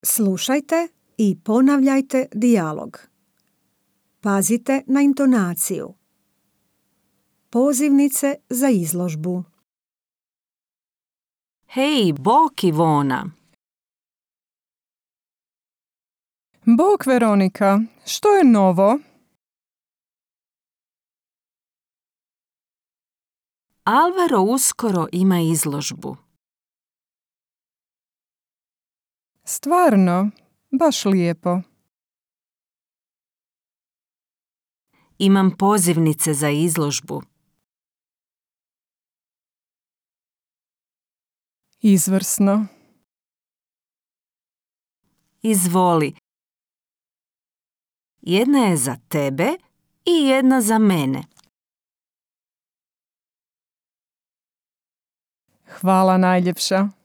Slušajte i ponavljajte dijalog. Pazite na intonaciju. Pozivnice za izložbu. Hej, bok Ivona! Bok Veronika, što je novo? Alvaro uskoro ima izložbu. Stvarno, baš lijepo. Imam pozivnice za izložbu. Izvrsno. Izvoli. Jedna je za tebe i jedna za mene. Hvala najljepša.